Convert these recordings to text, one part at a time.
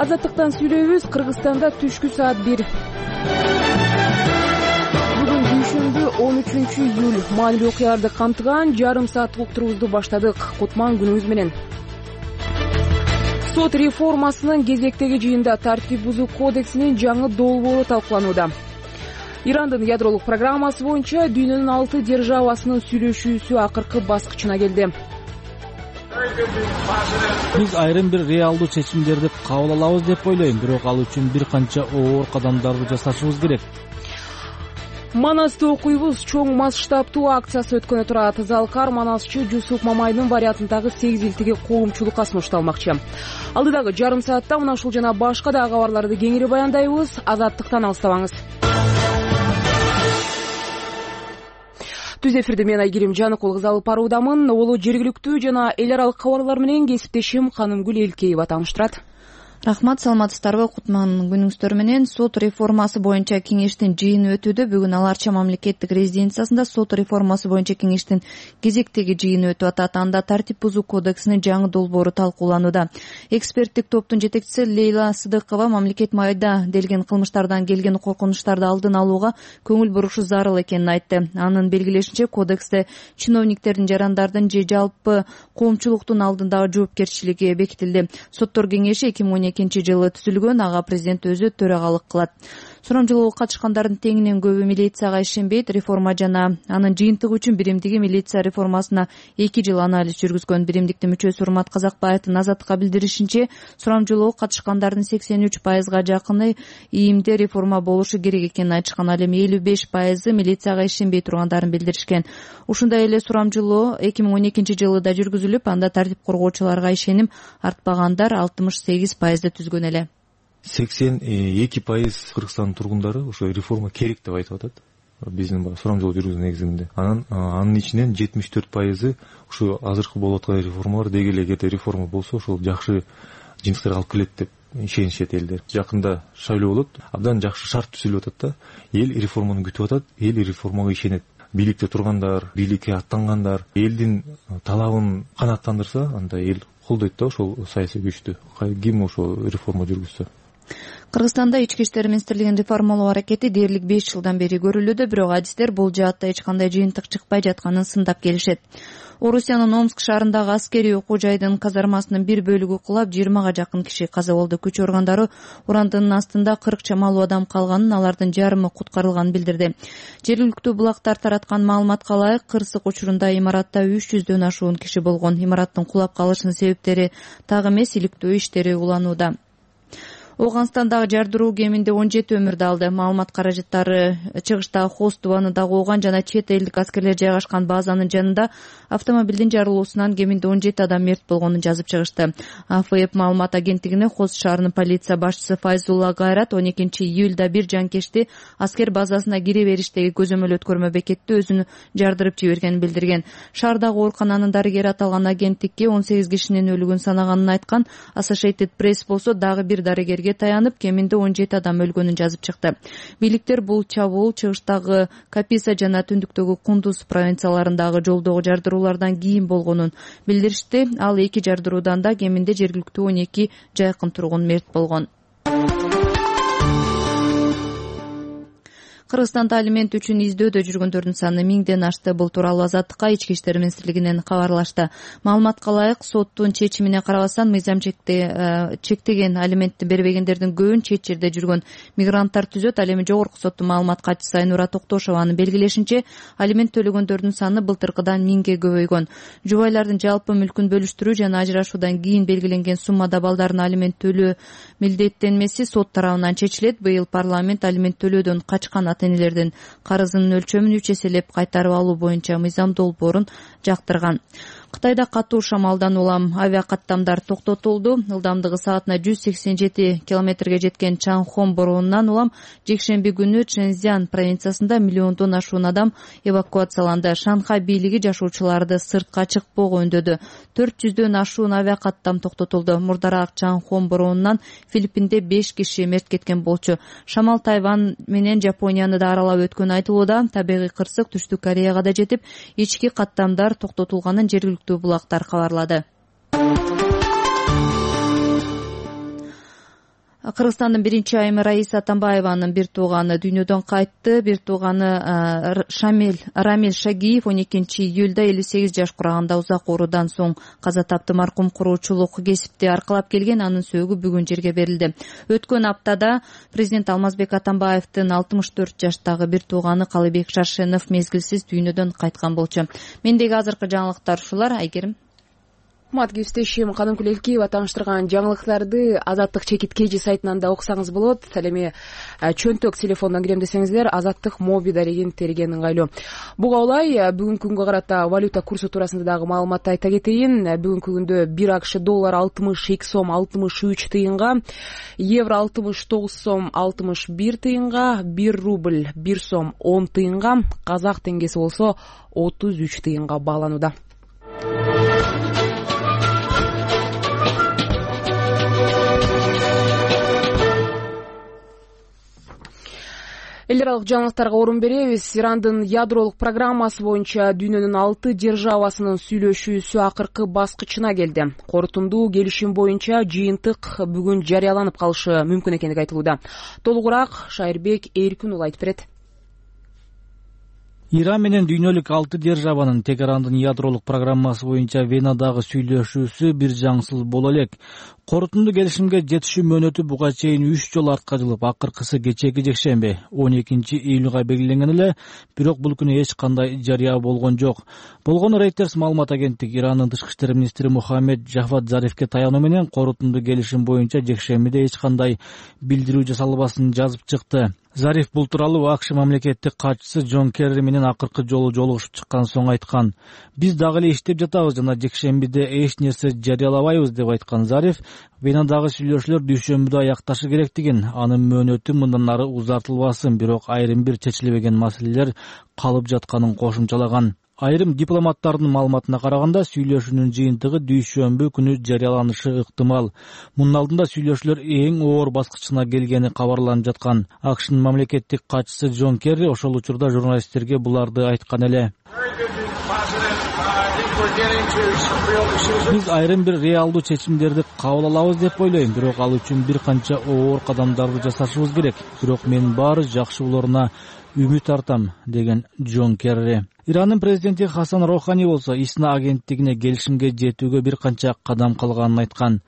Азаттыктан сүйлөйбүз. Кыргызстанда түшкү саат 1. Бүгүн дүйшөмбү 13-июль. Маанилүү окуяларды камтыган жарым сааттык уктуруубузду баштадык. Кутман күнүңүз менен. Сот реформасынын кезектеги жыйында тартип бузуу кодексинин жаңы долбоору талкууланууда. Ирандын ядролук программасы боюнча дүйнөнүн 6 державасынын сүйлөшүүсү акыркы баскычына келди. Биз айрым бир реалдуу чечимдерди кабыл алабыз деп ойлойм, бирок ал үчүн бир канча оор кадамдарды жасашыбыз керек. Манасты окуйбуз. Чоң масштабтуу акциясы өткөнү турат. Залкар манасчы Жусуп Мамайдын вариантындагы 8 илтиги коомчулукка сунушталмакчы. Алдыдагы жарым саатта мына ушул жана башка да кабарларды кеңири баяндайбыз. Азаттыктан алыстабаңыз. Түз эфирде мен Айгерим Жаныкул кыз алып баруудамын. Олу жергиликтүү жана эл аралык кабарлар менен кесиптешим Канымгүл Элкеева тааныштырат. Рахмат, саламатсыздарбы? Кутман күнүңүздөр менен. Сот реформасы боюнча кеңештин жыйыны өтүүдө. Бүгүн Ал Арча мамлекеттик резиденциясында сот реформасы боюнча кеңештин кезектеги жыйыны өтүп атат. Анда тартип бузуу кодексинин жаңы долбоору талкууланууда. Эксперттик топтун жетекчиси Лейла Сыдыкова мамлекет майда делген кылмыштардан келген коркунучтарды алдын алууга көңүл бурушу зарыл экенин айтты. Анын белгилешинче, кодексте чиновниктердин, жарандардын же жалпы коомчулуктун алдындагы жоопкерчилиги бекитилди. Соттор кеңеши 2012 жылы түзүлгөн, ага президент өзү төрагалык кылат. Сурамжылоого катышкандардын теңинен көбү милицияга ишенбейт. Реформа жана анын жыйынтыгы үчүн биримдиги милиция реформасына 2 жыл анализ жүргүзгөн. Биримдиктин мүчөсү Урмат Казакбаевдин Азаттыкка билдиришинче, сурамжылоого катышкандардын 83%га жакыны ийимде реформа болушу керек экенин айтышкан. Ал эми 55% милицияга ишенбей тургандарын билдиришкен. Ушундай эле сурамжылоо 2012 жылы да жүргүзүлүп, анда тартип коргоочуларга ишеним артпагандар 68%ды түзгөн эле. 82% Кыргызстандын тургундары ошо реформа керек деп айтып атат. Биздин сурамжылоо жүргүзүү негизинде. Анын ичинен 74% ушу азыркы болуп аткан реформалар деги эле эгерде реформа болсо ошол жакшы жыйынтыктарга алып келет деп ишенишет элдер. Жакында шайлоо болот, абдан жакшы шарт түзүлүп атат да. Эл реформаны күтүп атат, эл реформага ишенет. Бийликте тургандар, бийликке аттангандар элдин талабын канааттандырса, анда эл колдойт да ошол саясий күчтү. Ким ошол реформа жүргүзсө. Кыргызстанда ички иштер министрлигинин реформалоо аракети дээрлик 5 жылдан бери көрүлүүдө, бирок адистер бул жаатта эч кандай жыйынтык чыкпай жатканын сындап келишет. Орусиянын Омск шаарындагы аскерий окуу жайдын казармасынын бир бөлүгү кулап, 20га жакын киши каза болду. Күч органдары урандынын астында 40 чамалуу адам калганын, алардын жарымы куткарылганын билдирди. Жергиликтүү булактар тараткан маалыматка ылайык, кырсык учурунда имаратта 300дөн ашуун киши болгон. Имараттын кулап калышынын себептери так эмес, иликтөө иштери уланууда. Ооганстандагы жардыруу кеминде 17 өмүрдү алды. Маалымат каражаттары чыгыштагы Хост тубанында Ооган жана чет элдик аскерлер жайгашкан базанын жанында автомобилдин жарылуусунан кеминде 17 адам мерт болгонун жазып чыгышты. АФФ маалымат агенттигине Хост шаарынын полиция башчысы Файзулла Гайрат 12 июлда бир жанкечти аскер базасына кире бериштеги көзөмөл өткөрмө бекетте өзүнү жардырып жибергенин билдирген. Шаардагы оорукананын дарыгери аталган агенттикке 18 кишинин өлүгүн санаганын айткан. Associated Press болсо дагы бир дарыгер таянып, кеминде 17 адам өлгөнүн жазып чыкты. Бийликтер бул чабуул чыгыштагы Каписа жана түндүктөгү Кундуз провинцияларындагы жолдогу жардыруулардан кийин болгонун билдиришти. Ал 2 жардыруудан да кеминде жергиликтүү 12 жайкын тургун мерт болгон. Кыргызстанда алимент үчүн издөөдө жүргөндөрдүн саны 1000ден ашты. Бул тууралуу Азаттыкка ички иштер министрлигинен кабарлашты. Маалыматка ылайык, соттун чечимине карабастан мыйзам чектеген алиментти бербегендердин көбүн чет жерде жүргөн мигранттар түзөт. Ал эми жогорку соттун маалымат катчысы Айнура Токтошованын белгилешинче, алимент төлөгөндөрдүн саны былтыркыдан 1000ге көбөйгөн. Жубайлардын жалпы мүлкүн бөлүштүрүү жана ажырашуудан кийин белгиленген суммада балдардын алимент төлөө милдеттенмеси сот тарабынан чечилет. Быйыл парламент алимент төлөөдөн качкан ата-энелердин карызынын өлчөмүн 3 эселеп кайтарып алуу боюнча мыйзам долбоорун жактырган. Кытайда катуу шамалдан улам авиакаттамдар токтотулду. Ылдамдыгы саатына 187 километрге жеткен Чанхон боронунан улам жекшемби күнү Чжэнцзян провинциясында миллиондон ашуун адам эвакуацияланды. Шанхай бийлиги жашоочуларды сыртка чыкпоого үндөдү. 400дөн ашуун авиакаттам токтотулду. Мурдараак Чанхон боронунан Филиппинде 5 киши мерт кеткен болчу. Шамал Тайвань менен Жапонияны да аралап өткөнү айтылууда. Табигый кырсык Түштүк Кореяга да жетип, ички каттамдар токтотулганын жергиликтүү булактар кабарлады. Кыргызстандын биринчи айымы Раиса Атамбаеванын бир тууганы дүйнөдөн кайтты. Бир тууганы Рамиль Шагиев 12-июлда 58 жаш кураганда узак оорудан соң каза тапты. Маркум куруучулук кесипти аркалап келген, анын сөөгү бүгүн жерге берилди. Өткөн аптада президент Алмазбек Атамбаевдин 64 жаштагы бир тууганы Калыбек Шаршенов мезгилсиз дүйнөдөн кайткан болчу. Мендеги азыркы жаңылыктар ушулар. Айгерим. Кесиптешим Каным Күлелкиева тааныштырган жаңылыктарды Азаттык чекит KG сайтынан да окусаңыз болот. Ал эми чөнтөк телефондон кирем десеңиздер, Азаттык моби дарегин терген ыңгайлуу. Буга улай бүгүнкү күнгө карата валюта курсу туурасында дагы маалыматты айта кетейин. Бүгүнкү күндө 1 АКШ доллар 62 сом 63 тыйынга, евро 69 сом 61 тыйынга, 1 рубль 1 сом 10 тыйынга, казак теңгеси болсо 33 тыйынга бааланууда. Эл аралык жаңылыктарга орун беребиз. Ирандын ядролук программасы боюнча дүйнөнүн 6 державасынын сүйлөшүүсү акыркы баскычына келди. Корутундуу келишим боюнча жыйынтык бүгүн жарыяланып калышы мүмкүн экендиги айтылууда. Толугураак Шайырбек Эркин уулу айтып берет. Иран менен дүйнөлүк 6 державанын Тегерандын ядролук программасы боюнча Венадагы сүйлөшүүсү бир жаңсыз боло элек. Корутундуу келишимге жетишүү мөөнөтү буга чейин 3 жолу артка жылып, акыркысы кечээки жекшемби 12-июлга белгиленген эле, бирок бул күнү эч кандай жарыя болгон жок. Болгону Reuters маалымат агенттиги Ирандын тышкы иштер министри Мухаммед Жафад Зарифке таянуу менен корутундуу келишим боюнча жекшембиде эч кандай билдирүү жасалбасын жазып чыкты. Зариф бул тууралуу АКШ мамлекеттик катчысы Джон Керри менен акыркы жолу жолугушуп чыккан соң айткан. Биз дагы эле иштеп жатабыз жана жекшембиде эч нерсе жарыялабайбыз деп айткан Зариф, Венадагы сүйлөшүүлөр дүйшөмбүдө аякташы керектигин, анын мөөнөтү мындан ары узартылбасын, бирок айрым бир чечилбеген маселелер калып жатканын кошумчалаган. Айрым дипломаттардын маалыматына караганда, сүйлөшүүнүн жыйынтыгы дүйшөмбү күнү жарыяланышы ыктымал. Мунун алдында сүйлөшүүлөр эң оор баскычына келгени кабарланып жаткан. АКШнын мамлекеттик катчысы Джон Керри ошол учурда журналисттерге буларды айткан эле. Биз айрым бир реалдуу чечимдерди кабыл алабыз деп ойлойм, бирок ал үчүн бир канча оор кадамдарды жасашыбыз керек. Бирок мен баары жакшы болоруна үмүт артам, деген Джон Керри. Ирандын президенти Хасан Рохани болсо ИСНА агенттигине келишимге жетүүгө бир канча кадам калганын айткан.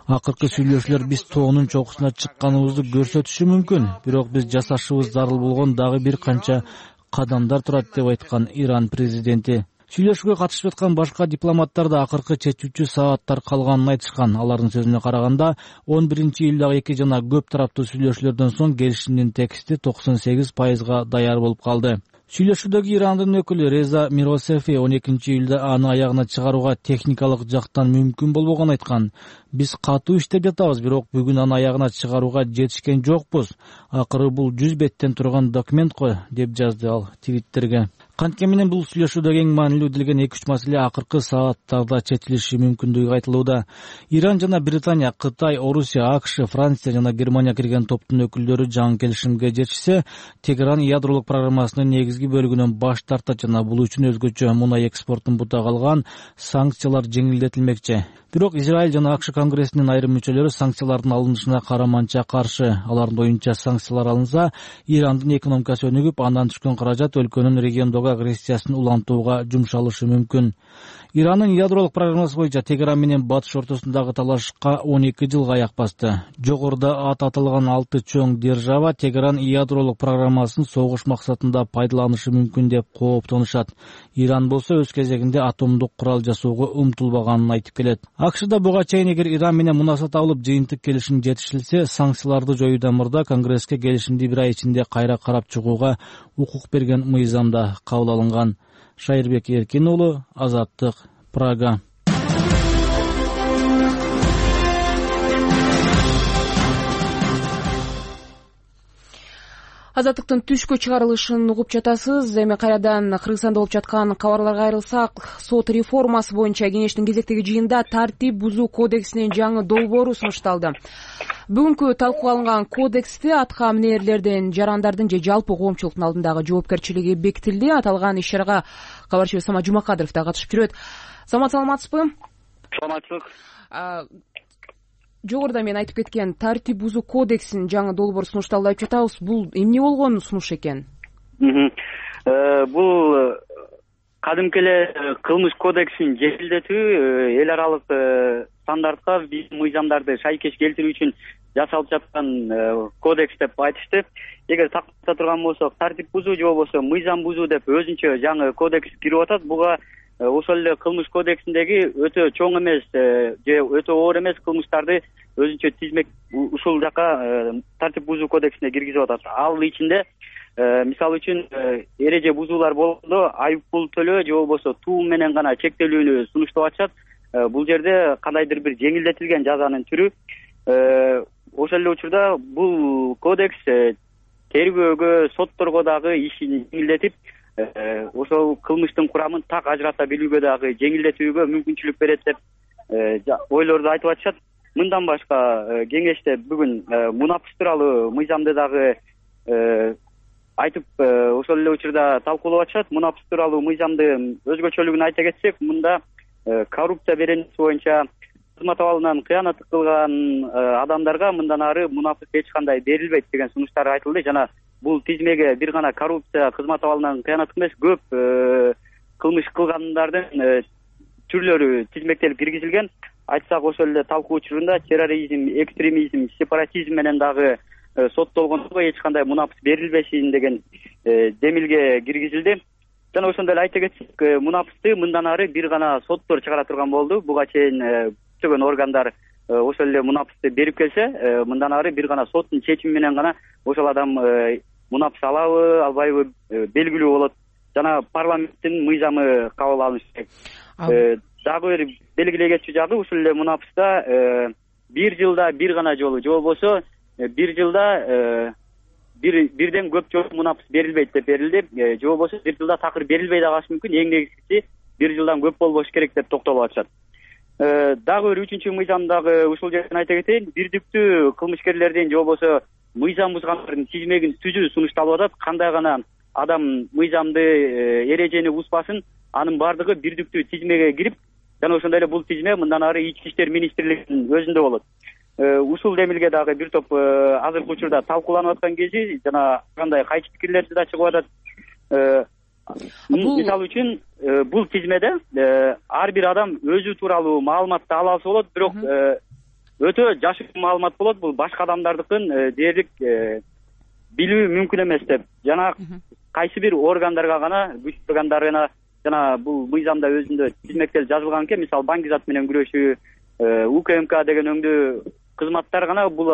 Акыркы сүйлөшүүлөр биз тоонун чокусуна чыкканыбызды көрсөтүшү мүмкүн, бирок биз жасашыбыз зарыл болгон дагы бир канча кадамдар турат деп айткан Иран президенти. Сүйлөшүүгө катышып аткан башка дипломаттар да акыркы чечүүчү сааттар калганын айтышкан. Алардын сөзүнө караганда, 11-июлдагы 2 жана көп тараптуу сүйлөшүүлөрдөн соң келишимдин тексти 98% даяр болуп калды. Сүйлөшүүдөгү Ирандын өкүлү Реза Миросефи 12-июлда аны аягына чыгарууга техникалык жактан мүмкүн болбогонун айткан. Биз катуу иштеп жатабыз, бирок бүгүн аны аягына чыгарууга жетишкен жокпуз. Акыры бул 100 беттен турган документ го, деп жазды ал Твиттерге. Кантке менен бул сүйлөшүүдө эң маанилүү делген 2-3 маселе акыркы сааттарда чечилиши мүмкүндүгү айтылууда. Иран жана Британия, Кытай, Орусия, АКШ, Франция жана Германия кирген топтун өкүлдөрү жаңы келишимге жетишсе, Тегеран ядролук программасынын негизги бөлүгүнөн баш тартат жана бул үчүн өзгөчө мунай экспортун бута калган санкциялар жеңилдетилмекчи. Бирок Израиль жана АКШ конгрессинин айрым мүчөлөрү санкциялардын алынышына караманча каршы. Алардын оюнча санкциялар алынса, Ирандын экономикасы өнүгүп, андан түшкөн каражат өлкөнүн региондогу агрессиясын улантууга жумшалышы мүмкүн. Ирандын ядролук программасы боюнча Тегеран менен батыш ортосундагы талашка 12 жылга аяк басты. Жогоруда аталган 6 чоң держава Тегеран ядролук программасын согуш максатында пайдаланышы мүмкүн деп кооптонушат. Иран болсо өз кезегинде атомдук курал жасоого умтулбаганын айтып келет. АКШ да буга чейин эгер Иран менен мунасат алып жыйынтык келишим жетишилсе, санкцияларды жоюудан мурда Конгресске келишимди бир ай ичинде кайра карап чыгууга укук берген мыйзамда кабыл алынган. Шайырбек Эркин уулу, Азаттык, Прага. Азаттыктын түшкө чыгарылышын угуп жатасыз. Эми кайрадан Кыргызстанда болуп жаткан кабарларга айрылсак, сот реформасы боюнча кеңештин кезектеги жыйынында тартип бузуу кодексинин жаңы долбоору сунушталды. Бүгүнкү талкууга алынган кодексте атка минерлердин, жарандардын же жалпы коомчулуктун алдындагы жоопкерчилиги бекитилди. Аталган иш-чарага кабарчыбыз Самат Жумакадыров да катышып жүрөт. Самат, саламатсызбы? саламатчылык. Жогоруда мен айтып кеткен тартип бузуу кодексинин жаңы долбоору сунушталды деп жатабыз. Бул эмне болгон сунуш экен? Бул кадимки эле кылмыш кодексин жеңилдетүү, эл аралык стандартка биздин мыйзамдарды шайкеш келтирүү үчүн жасалып жаткан кодекс деп айтышты. Эгер тактата турган болсок, тартип бузуу же болбосо мыйзам бузуу деп өзүнчө жаңы кодекс кирип атат. Буга ошол эле кылмыш кодексиндеги өтө чоң эмес же өтө оор эмес кылмыштарды өзүнчө тизмек ушул жака тартип бузуу кодексине киргизип атат. Ал ичинде мисалы үчүн эреже бузуулар болгондо айып пул төлөө же болбосо туум менен гана чектелүүнү сунуштап атышат. Бул жерде кандайдыр бир жеңилдетилген жазанын түрү. Ошол эле учурда бул кодекс тергөөгө, сотторго дагы ишин жеңилдетип, ошол кылмыштын курамын так ажырата билүүгө дагы жеңилдетүүгө мүмкүнчүлүк берет деп ойлорду айтып атышат. Мындан башка кеңеште бүгүн мунапыс тууралуу мыйзамды дагы айтып ошол эле учурда талкуулап атышат. Мунапыс тууралуу мыйзамды өзгөчөлүгүн айта кетсек, мында коррупция беренеси боюнча кызмат абалынан кыянат кылган адамдарга мындан ары мунапыс эч кандай берилбейт деген сунуштар айтылды. Жана бул тизмеге бир гана коррупция, кызмат абалынан кыянат эмес, көп кылмыш кылгандардын түрлөрү тизмектелип киргизилген. Айтсак, ошол эле талкуу учурунда терроризм, экстремизм, сепаратизм менен дагы соттолгондорго эч кандай мунапыс берилбесин деген демилге киргизилди. Жана ошондой эле айта кетсек, мунапысты мындан ары бир гана соттор чыгара турган болду. Буга чейин көптөгөн органдар ошол эле мунапысты берип келсе, мындан ары бир гана соттун чечими менен гана ошол адам мунапыс алабы, албайбы белгилүү болот. Жана парламенттин мыйзамы кабыл алынышы керек. Дагы бир белгилей кетчү жагы, ушул эле мунапыста бир жылда бир гана жолу же болбосо бир жылда бирден көп жолу мунапыс берилбейт деп берилди. Же болбосо бир жылда такыр берилбей да калышы мүмкүн. Эң негизгиси бир жылдан көп болбош керек деп токтолуп атышат. Дагы бир үчүнчү мыйзамдагы ушул жерден айта кетейин, бирдиктүү кылмышкерлердин же болбосо мыйзам бузгандардын тизмегин түзүү сунушталып атат. Кандай гана адам мыйзамды эрежени бузбасын, анын бардыгы бирдиктүү тизмеге кирип, жана ошондой эле бул тизме мындан ары Ички иштер министрлигинин өзүндө болот. Ушул демилге дагы бир топ азыркы учурда талкууланып аткан кези, жана кандай кайчы пикирлер да чыгып атат. Мисалы үчүн бул тизмеде ар бир адам өзү тууралуу маалыматты ала алса болот, бирок өтө жашыруун маалымат болот. Бул башка адамдардыкын дээрлик билүү мүмкүн эмес деп. Жана кайсы бир органдарга гана, күч органдарына, жана бул мыйзамда өзүндө тизмектелип жазылган экен. Мисалы баңгизат менен күрөшүү, УКМК деген өңдүү кызматтар гана бул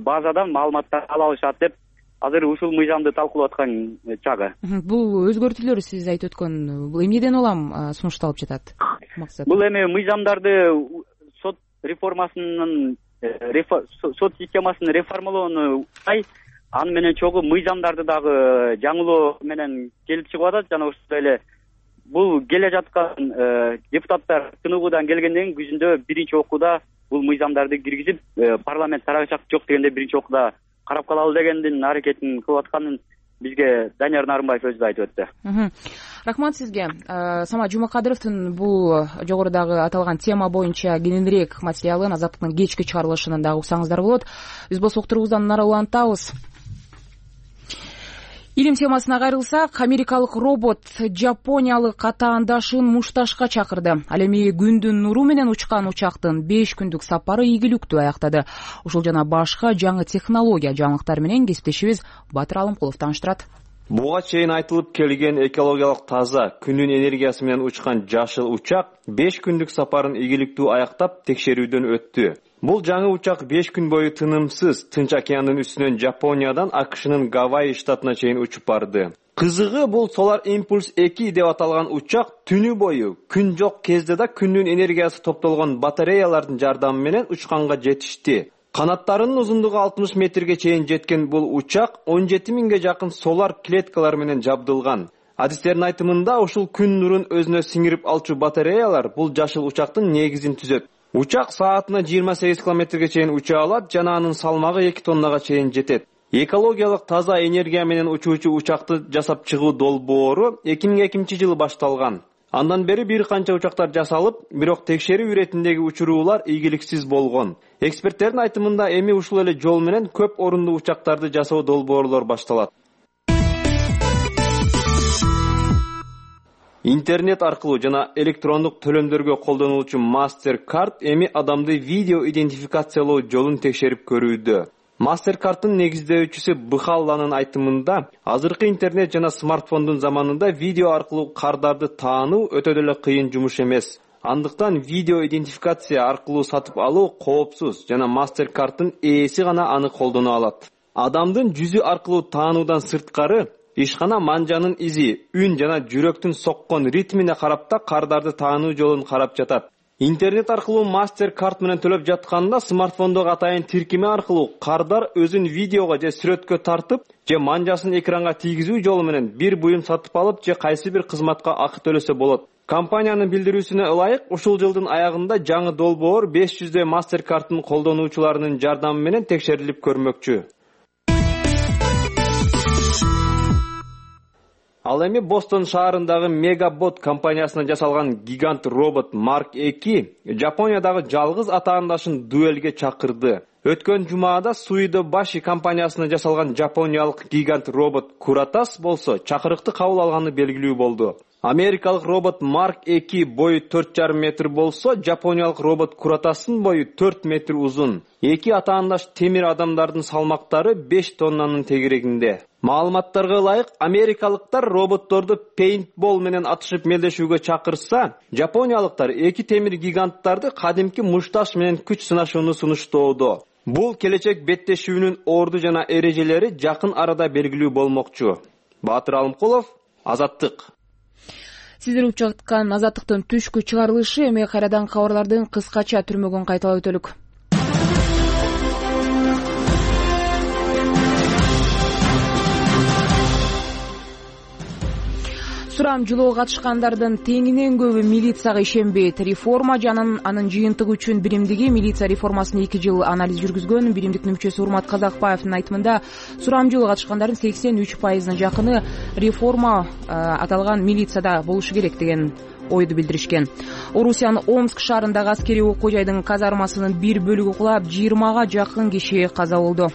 базадан маалыматтар ала алышат деп азыр ушул мыйзамды талкуулап аткан чагы. Бул өзгөртүүлөр сиз айтып өткөн бул эмнеден улам сунушталып жатат? Максат. Бул эми мыйзамдарды сот реформасынын сот системасын реформалоону аны менен чогуу мыйзамдарды дагы жаңылоо менен келип чыгып атат. Жана ошондой эле бул келе жаткан депутаттар тыныгуудан келгенден кийин күзүндө биринчи окууда бул мыйзамдарды киргизип, парламент тарагачак жок дегенде биринчи окууда карап калалы дегендин аракетин кылып атканын бизге Данияр Нарымбаев өзү айтып өттү. Рахмат сизге. Самат Жумакадыровдун бул жогорудагы аталган тема боюнча кененирээк материалын Азаттыктын кечки чыгарылышынан дагы уксаңыздар болот. Биз болсо уктуруубуздан нары улантабыз. Илим темасына кайрылсак, америкалык робот жапониялык атаандашын мушташка чакырды. Ал эми күндүн нуру менен учкан учактын 5 күндүк сапары ийгиликтүү аяктады. Ушул жана башка жаңы технология жаңылыктары менен кесиптешибиз Батыр Алымкулов тааныштырат. Буга чейин айтылып келген экологиялык таза күнүн энергиясы менен учкан жашыл учак 5 күндүк сапарын ийгиликтүү аяктап текшерүүдөн өттү. Бул жаңы учак 5 күн бою тынымсыз Тынч океандын үстүнөн Жапониядан АКШнын Гавайи штатына чейин учуп барды. Кызыгы бул Solar Impulse 2 деп аталган учак түнү бою күн жок кезде да күндүн энергиясы топтолгон батареялардын жардамы менен учканга жетишти. Канаттарынын узундугу 60 метрге чейин жеткен бул учак 17 миңге жакын солар клеткалар менен жабдылган. Адистердин айтымында ушул күн нурун өзүнө сиңирип алчу батареялар бул жашыл учактын негизин түзөт. Учак саатына 28 километрге чейин уча алат жана анын салмагы 2 тоннага чейин жетет. Экологиялык таза энергия менен учуучу учакты жасап чыгуу долбоору 2002-жылы башталган. Андан бери бир канча учактар жасалып, бирок текшерүү иретиндеги учуруулар ийгиликсиз болгон. Эксперттердин айтымында эми ушул эле жол менен көп орундуу учактарды жасоо долбоорлор башталат. Интернет аркылуу жана электрондук төлөмдөргө колдонулуучу MasterCard эми адамды видео идентификациялоо жолун текшерип көрүүдө. MasterCard'ын негиздөөчүсү Быхалланын айтымында, азыркы интернет жана смартфондун заманында видео аркылуу кардарды таануу өтө деле кыйын жумуш эмес. Андыктан видео идентификация аркылуу сатып алуу коопсуз жана MasterCard'ын ээси гана аны колдоно алат. Адамдын жүзү аркылуу таануудан сырткары, ишкана манжанын изи, үн жана жүрөктүн соккон ритмине карап да кардарды таануу жолун карап жатат. Интернет аркылуу MasterCard менен төлөп жатканда смартфондогу атайын тиркеме аркылуу кардар өзүн видеого же сүрөткө тартып, же манжасын экранга тийгизүү жолу менен бир буюм сатып алып, же кайсы бир кызматка акы төлөсө болот. Компаниянын билдирүүсүнө ылайык, ушул жылдын аягында жаңы долбоор 500 MasterCard'ын колдонуучуларынын жардамы менен текшерилип көрмөкчү. Ал эми Бостон шаарындагы Megabot компаниясына жасалган гигант робот Mark 2 Жапониядагы жалгыз атаандашын дуэлге чакырды. Өткөн жумаада Suido Bashi компаниясына жасалган жапониялык гигант робот Куратас болсо чакырыкты кабыл алганы белгилүү болду. Америкалык робот Mark 2 бою 4,5 метр болсо, жапониялык робот Куратастын бою 4 метр узун. Эки атаандаш темир адамдардын салмактары 5 тоннанын тегерегинде. Маалыматтарга ылайык, америкалыктар роботторду пейнтбол менен атышып мелдешүүгө чакырса, жапониялыктар эки темир гиганттарды кадимки мушташ менен күч сынашууну сунуштоодо. Бул келечек беттешүүнүн орду жана эрежелери жакын арада белгилүү болмокчу. Баатыр Алымкулов, Азаттык. Сиздер угуп жаткан Азаттыктын түшкү чыгарылышы эми кайрадан кабарлардын кыскача түрмөгүн кайталап өтөлүк. Сурамжылоого катышкандардын теңинен көбү милицияга ишенбейт. Реформа жана анын жыйынтыгы үчүн биримдиги милиция реформасын 2 жыл анализ жүргүзгөн биримдиктин мүчөсү Урмат Казакбаевдин айтымында, сурамжылоого катышкандардын 83% жакыны реформа аталган милицияда болушу керек деген ойду билдиришкен. Орусиянын Омск шаарындагы аскерий окуу жайдын казармасынын бир бөлүгү кулап, 20га жакын киши каза болду.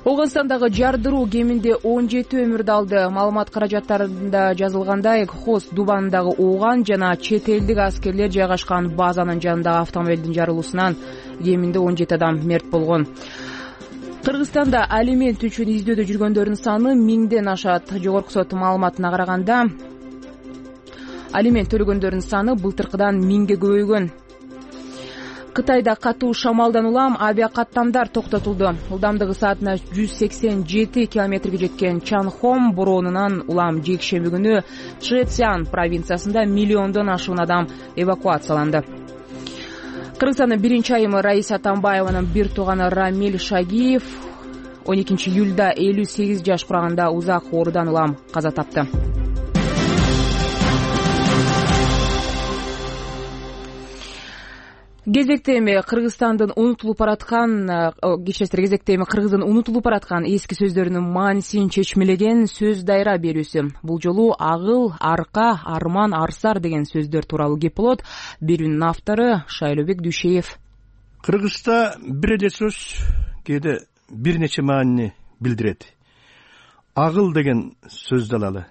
Оганстандагы жардыруу кеминде 17 өмүрдү алды. Маалымат каражаттарында жазылгандай, Хос Дубандагы ооган жана чет элдик аскерлер жайгашкан базанын жанындагы автомобилдин жарылуусунан кеминде 17 адам мерт болгон. Кыргызстанда алимент үчүн издөөдө жүргөндөрдүн саны 1000ден ашат. Жогорку сот маалыматына караганда, алимент төлөгөндөрдүн саны былтыркыдан 1000ге көбөйгөн. Кытайда катуу шамалдан улам авиакаттамдар токтотулду. Ылдамдыгы саатына 187 километрге жеткен Чанхом бороонунан улам жекшемби күнү Чжэцзян провинциясында миллиондон ашуун адам эвакуацияланды. Кыргызстандын биринчи айымы Раиса Атамбаеванын бир тууганы Рамиль Шагиев 12 июлда 58 жаш кураганда узак оорудан улам каза тапты. Кезекте эми Кыргыздын унутулуп бараткан эски сөздөрүнүн маанисин чечмелеген сөз дайра берүүсү. Бул жолу агыл, арка, арман, арсар деген сөздөр тууралуу кеп болот. Берүүнүн автору Шайлообек Дүйшеев. Кыргызда бир эле сөз кээде бир нече маанини билдирет. Агыл деген сөздү алалы.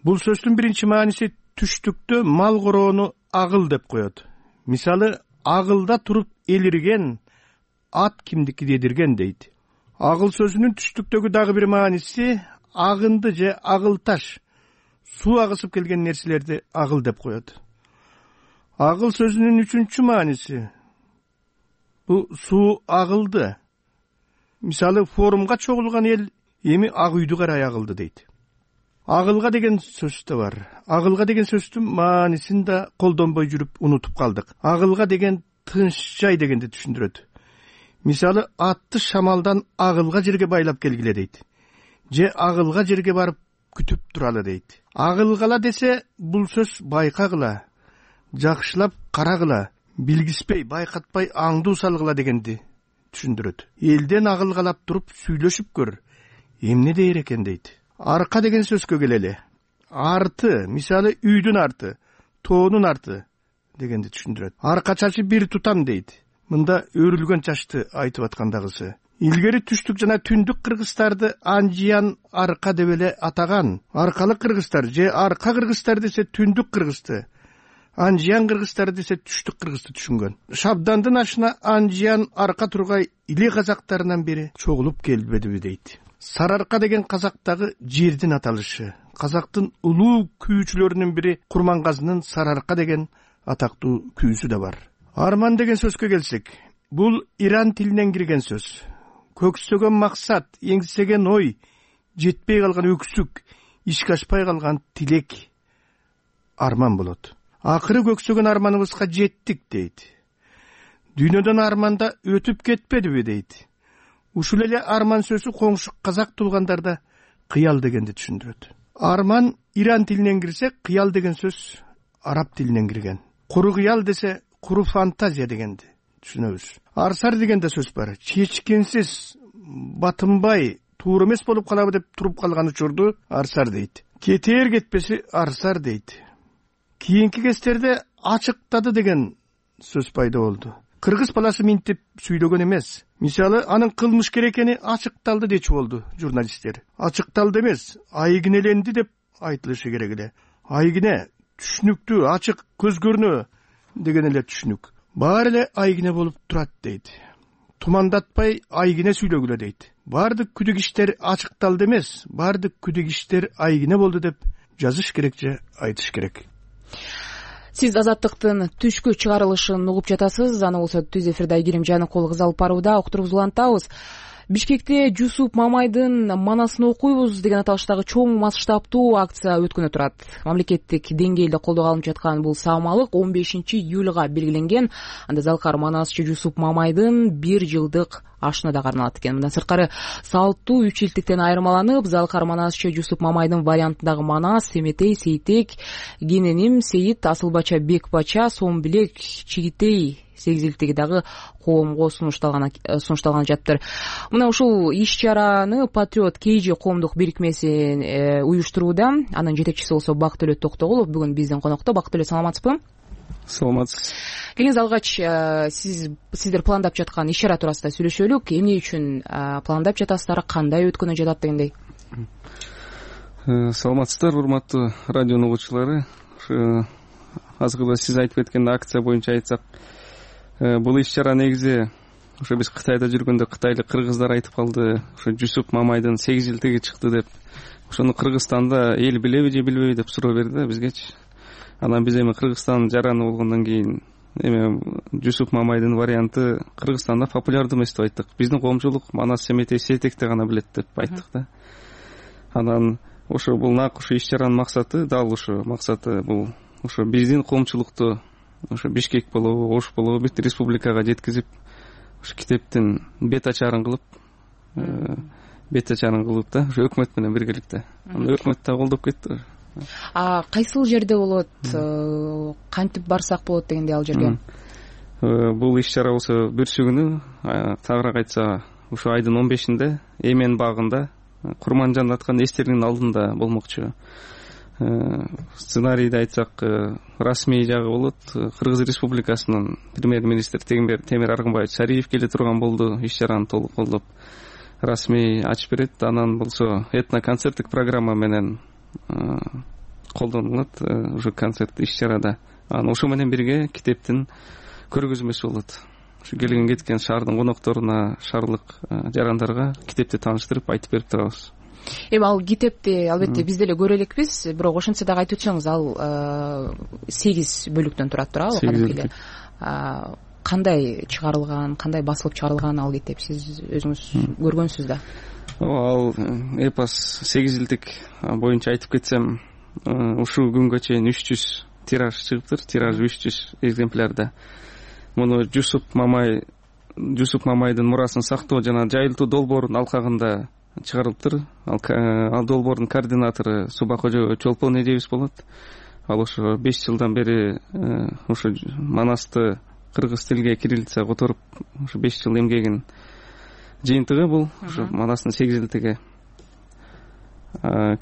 Бул сөздүн биринчи мааниси түштүктө мал короону агыл деп коет. Мисалы, агылда туруп элирген ат кимдики дедирген дейт. Агыл сөзүнүн түштүктөгү дагы бир мааниси агынды же агыл таш, суу агысып келген нерселерди агыл деп коет. Агыл сөзүнүн үчүнчү мааниси бул суу агылды. Мисалы, форумга чогулган эл эми ак үйдү карай агылды дейт. Агылга деген сөз да бар. Агылга деген сөздүн маанисин да колдонбой жүрүп унутуп калдык. Агылга деген тынч жай дегенди түшүндүрөт. Мисалы, атты шамалдан агылга жерге байлап келгиле дейт. Же агылга жерге барып күтүп туралы дейт. Агылгала десе, бул сөз байкагыла, жакшылап карагыла, билгиспей, байкатпай аңдуу салгыла дегенди түшүндүрөт. Элден агылгалап туруп сүйлөшүп көр, эмне дээр экен дейт. Арка деген сөзгө келели. арты, мисалы үйдүн арты, тоонун арты дегенди түшүндүрөт. Арка чачы бир тутам дейт. Мында өрүлгөн чачты айтып аткандагысы. Илгери түштүк жана түндүк кыргызстарды анжиян арка деп эле атаган. Аркалык кыргыздар же арка кыргыздар десе түндүк кыргызды, анжиян кыргыздар десе түштүк кыргызды түшүнгөн. Шабдандын ашына анжиян арка тургай иле казактарынан бери чогулуп келбедиби дейт. Сарыарка деген казактагы жердин аталышы. Казактын улуу күүчүлөрүнүн бири Курмангазынын Сарыарка деген атактуу күүсү да бар. Арман деген сөзгө келсек, бул иран тилинен кирген сөз. Көксөгөн максат, эңсеген ой, жетпей калган өксүк, ишке ашпай калган тилек арман болот. Акыры көксөгөн арманыбызга жеттик дейт. Дүйнөдөн арманда өтүп кетпедиби дейт. Ушул эле арман сөзү коңшу казак туулгандарда кыял дегенди түшүндүрөт. Арман иран тилинен кирсе, кыял деген сөз араб тилинен кирген. Куру кыял десе, куру фантазия дегенди түшүнөбүз. Арсар деген да сөз бар. Чечкенсиз, батынбай, туура эмес болуп калабы деп туруп калган учурду арсар дейт. Кетер кетпеси арсар дейт. Кийинки кездерде ачыктады деген сөз пайда болду. Кыргыз баласы минтип сүйлөгөн эмес. Мисалы, анын кылмышкер экени ачыкталды дечи болду журналисттер. Ачыкталды эмес, айгинеленди деп айтылышы керек эле. Айгине түшүнүктүү, ачык, көз көрнөө деген эле түшүнүк. Баары эле айгине болуп турат дейт. Тумандатпай айгине сүйлөгүлө дейт. Баардык күдүк иштер ачыкталды эмес, баардык күдүк иштер айгине болду деп жазыш керек же айтыш керек. Сиз Азаттыктын түшкү чыгарылышын угуп жатасыз. Аны болсо түз эфирде Айгерим Жаныкул кыз алып барууда. Уктуруубузду улантабыз. Бишкекте Жусуп Мамайдын манасын окуйбуз деген аталыштагы чоң масштабтуу акция өткөнү турат. Мамлекеттик деңгээлде колдоо алынып жаткан бул саамалык 15-июлга белгиленген. Анда Залкар Манасчы Жусуп Мамайдын 1 жылдык ашына да каралат экен. Мындан сырткары салттуу 3 жылдыктан айырмаланып, Залкар Манасчы Жусуп Мамайдын вариантындагы Манас, Семетей, Сейтек, Гененим, Сейит, Асылбача, Бекбача, Сомбилек, Чигитей 8 жылдыктыгы дагы коомго сунушталган жатыр. Мына ушул иш-чараны Патриот КЖ коомдук бирикмеси уюштурууда. Анын жетекчиси болсо Бактөлөт Токтогулов бүгүн биздин конокто. Бактөлөт, саламатсызбы? Саламатсыз. Келиңиз, алгач сиздер пландап жаткан иш-чара туурасында сүйлөшөлүк. Эмне үчүн пландап жатасыздар, кандай өткөнү жатат дегендей? Саламатсыздар, урматтуу радионун угуучулары. Азыркы сиз айтып кеткен акция боюнча айтсак, бул иш-чара негизи ошо биз Кытайда жүргөндө кытайлык кыргыздар айтып калды, ошо Жусуп Мамайдын 8 жылдыгы чыкты деп. Ошону Кыргызстанда эл билеби же билбеби деп суроо берди бизгечи. Анан биз эми Кыргызстан жараны болгондон кийин эми Жусуп Мамайдын варианты Кыргызстанда популярдуу эмес деп айттык. Биздин коомчулук Манас, Семетей, Сейтекти гана билет деп айттык да. Анан ошо бул нак ушу иш-чаранын максаты, дал ушу максаты бул ошо биздин коомчулукту ошо Бишкек болобу, Ош болобу бүт республикага жеткизип, ошо китептин бет ачарын кылып да, ошо өкмөт менен биргеликте. Анда өкмөт да колдоп кетти. Кайсыл жерде болот, кантип барсак болот дегенде ал жерге? Бул иш-чара болсо бүрсү күнү, тагыраак айтса, ушу айдын 15-inde Эмен багында Курманжан аткан эстердин алдында болмокчу. Сценарийде айтсак, расмий жагы болот. Кыргыз Республикасынын премьер-министри Темир Аргынбаевич Шариев келе турган болду, иш-чараны толук колдоп. Расмий ачып берет. Анан болсо этно-концерттик программа менен колдонулат ушу концерт иш-чарада. Анан ошо менен бирге китептин көргөзмөсү болот. Ушу келген кеткен шаардын конокторуна, шаардык жарандарга китепти тааныштырып айтып берип турабыз. Эми ал китепти албетте биз деле көрө элекпиз, бирок ошентсе дагы айтып өтсөңүз, ал 8 бөлүктөн турат туурабы? Кадимкиде кандай чыгарылган, кандай басылып чыгарылган ал китеп, сиз өзүңүз көргөнсүз да? Ал эпос 8 жылдык боюнча айтып кетсем, ушул күнгө чейин 300 тираж чыгыптыр, тираж 300 экземплярда. Муну Жусуп Мамайдын мурасын сактоо жана жайылтуу долбоорунун алкагында чыгарылыптыр. Ал долбоордун координатору Субакожо Чолпон эжебиз болот. Ал ошо 5 жылдан бери ошо Манасты кыргыз тилге кириллица которуп, ошо 5 жыл эмгегин жыйынтыгы бул ошо Манастын 8 жылдыгы.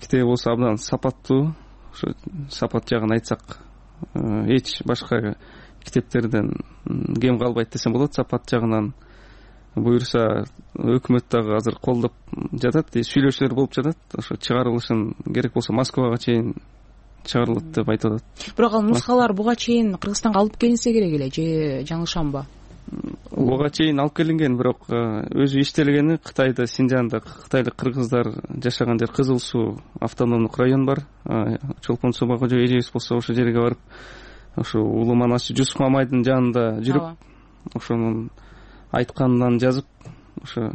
Китеп болсо абдан сапаттуу, ошо сапат жагын айтсак, эч башка китептерден кем калбайт десем болот. Сапат жагынан буюрса өкмөт дагы азыр колдоп жатат, сүйлөшүүлөр болуп жатат. Ошо чыгарылышын керек болсо Москвага чейин чыгарылат деп айтып атат. Бирок ал нускалар буга чейин Кыргызстанга алып келинсе керек эле, же жаңылышамбы? Буга чейин алып келинген, бирок өзү иштелгени Кытайда, Синжанда кытайлык кыргыздар жашаган жер Кызыл Суу автономдук район бар. Чолпон Субакожо эжебиз болсо ошол жерге барып, ошо улуу манасчы Жусуп Мамайдын жанында жүрүп, ошонун айтканынан жазып, ошо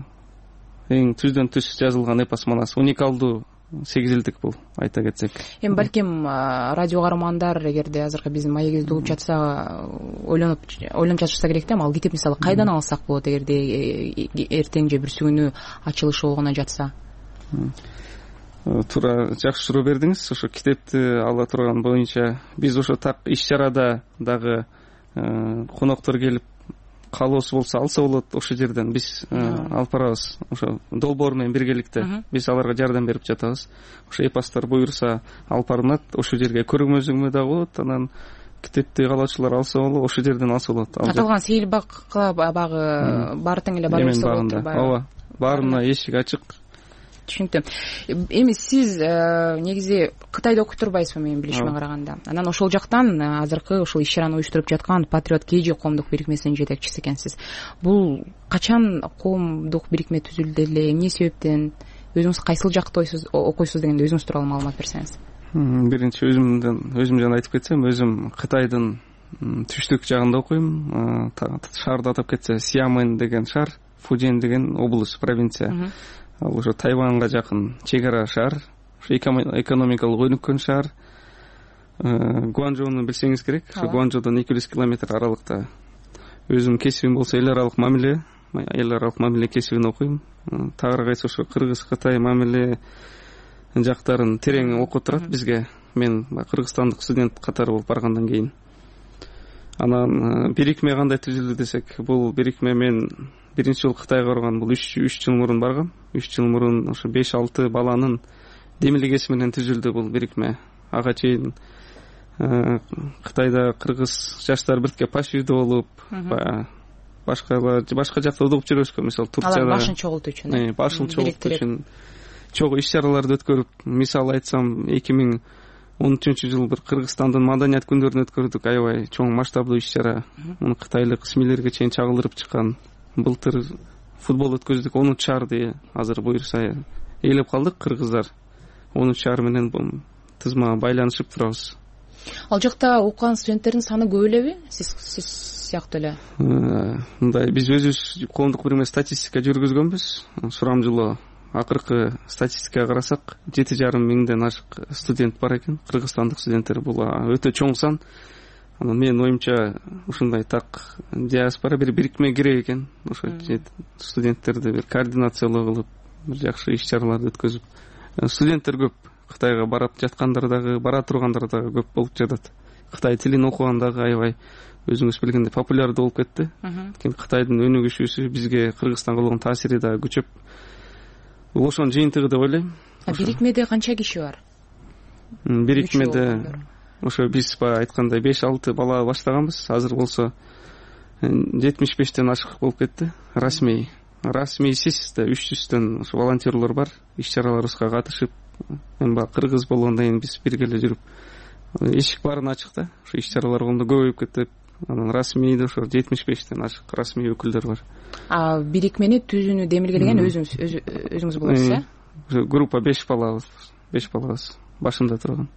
эң түздөн түз жазылган эпос манас. Уникалдуу 8 жылдык бул, айта кетсек. Эми балким радио каармандар эгерде азыркы биздин маегибизди угуп жатса, ойлонуп жатышса керек да, ал китеп мисалы кайдан алсак болот эгерде эртең же бүрсү күнү ачылышы болгоно жатса? Туура, жакшы суроо бердиңиз. Ошо китепти ала турган боюнча биз ошо так иш чарада дагы коноктор келип каалоосу болсо алса болот, ошол жерден биз алып барабыз. Ошо долбоор менен биргеликте биз аларга жардам берип жатабыз. Ошо эпостор буюрса алып барылат, ошол жерге көргөзмө дагы болот. Анан китепти каалоочулар алса болот, ошол жерден алса болот. Аталган сейил багы баары тең эле бара берсе болот. Ооба, баарына эшик ачык. Түшүнүктүү. Эми сиз негизи Кытайда окуп турбайсызбы менин билишиме караганда? Анан ошол жактан азыркы ушул иш чараны уюштуруп жаткан Патриот КЖ коомдук бирикмесинин жетекчиси экенсиз. Бул качан коомдук бирикме түзүлдү эле, эмне себептен, өзүңүз кайсыл жакта окуйсуз дегенде өзүңүз тууралуу маалымат берсеңиз. Биринчи өзүм жана айтып кетсем, өзүм Кытайдын түштүк жагында окуйм. Шаарды атап кетсе, Сиамэн деген шаар, Фужен деген область, провинция. Ал ошо Тайванга жакын чек ара шаар, экономикалык өнүккөн шаар. Гуанчжоуну билсеңиз керек. Ошо Гуанчжоудон 200 километр аралыкта. Өзүм кесибим болсо эл аралык мамиле кесибин окуйм. Тагыраак айтсак, ошо Кыргыз Кытай мамиле жактарын терең окуп турат бизге. Мен кыргызстандык студент катары болуп баргандан кийин. Анан бирикме кандай түзүлдү десек, бул бирикме мен биринчи жолу Кытайга барган, бул 3 жыл мурун баргам. 3 жыл мурун ошо 5-6 баланын демилгеси менен түзүлдү бул бирикме. Ага чейин Кытайда кыргыз жаштар бирге пашүйдө болуп, башка жакта угуп жүрөбүзгө, мисалы Турцияда башын чогултуу үчүн. Башын чогултуу үчүн чогуу иш чараларды өткөрүп, мисал айтсам 2013 жыл бир Кыргызстандын маданият күндөрүн өткөрдүк, аябай чоң масштабдуу иш чара. Муну кытайлык СМИлерге чейин чагылдырып чыккан. Былтыр футбол өткөздүк, 10 шаарды азыр буюрса ээлеп калдык кыргыздар. 10 шаар менен тызма байланышып турабыз. Ал жакта окуган студенттердин саны көп элеби? Сиз сыяктуу эле. Мындай, биз өзүбүз коомдук бирме статистика жүргүзгөнбүз. Сурамжылоо акыркы статистикага карасак 7,5 миңден ашык студент бар экен, кыргызстандык студенттер. Бул өтө чоң сан. Анан менин оюмча ушундай так диаспора бир бирикме керек экен. Ошо студенттерди бир координациялоо кылып, бир жакшы иш чараларды өткөзүп. Студенттер көп. Кытайга барып жаткандар дагы, бара тургандар дагы көп болуп жатат. Кытай тилин окуган дагы аябай өзүңүз билгендей популярдуу болуп кетти. Кытайдын өнүгүшүсү бизге Кыргызстанга болгон таасири дагы күчөп, ошонун жыйынтыгы деп ойлойм. Бирикмеде канча киши бар? Бирикмеде ошо биз айткандай 5-6 бала баштаганбыз. Азыр болсо 75тен ашык болуп кетти. Расмийсиз да 300төн ошо волонтерлор бар. Иш чараларыбызга катышып, эми кыргыз болгондон кийин биз бирге эле жүрүп, эшик баарын ачык да. Ошо иш чаралар көбөйүп кетип, анан расмийде ошо 75тен ашык расмий өкүлдөр бар. Бирикмени түзүүнү демилгелеген өзүңүз болосуз, э? Группа 5 балабыз башында турган.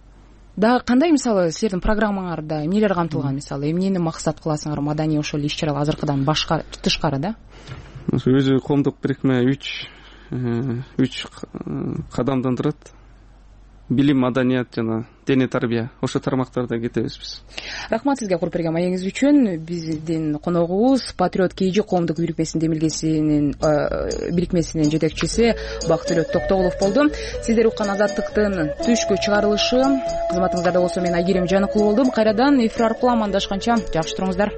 Да, кандай мисалы силердин программаңарда эмнелер камтылган, мисалы эмнени максат кыласыңар маданий ошол иш чаралар азыркыдан башка тышкары да? Өзү коомдук бирикме 3 кадамдан турат. Билим, маданият жана дене тарбия. Ошо тармактарда кетебиз биз. Рахмат сизге куруп берген маегиңиз үчүн. Биздин коногубуз Патриот КЖ коомдук бирикмесинин жетекчиси Бактылөт Токтогулов болду. Сиздер уккан Азаттыктын түшкү чыгарылышы кызматыңыздарда болсо мен Айгерим Жаныкул болдум. Кайрадан эфир аркылуу амандашканча жакшы туруңуздар.